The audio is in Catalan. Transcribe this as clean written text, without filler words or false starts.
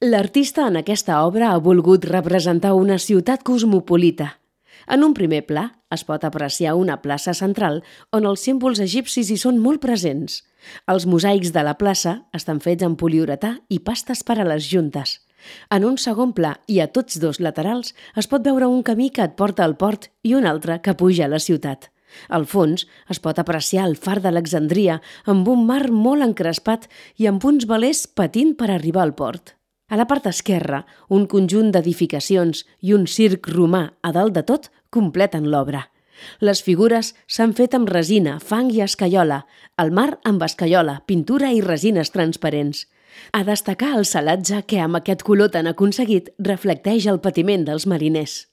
L'artista en aquesta obra ha volgut representar una ciutat cosmopolita. En un primer pla es pot apreciar una plaça central on els símbols egipcis hi són molt presents. Els mosaics de la plaça estan fets amb poliuretà i pastes per a les juntes. En un segon pla i a tots dos laterals es pot veure un camí que et porta al port i un altre que puja a la ciutat. Al fons es pot apreciar el far d'Alexandria amb un mar molt encrespat i amb uns velers patint per arribar al port. A la part esquerra, un conjunt d'edificacions i un circ romà a dalt de tot completen l'obra. Les figures s'han fet amb resina, fang i escaiola, el mar amb escaiola, pintura i resines transparents. A destacar el salatge que amb aquest color tan aconseguit reflecteix el patiment dels mariners.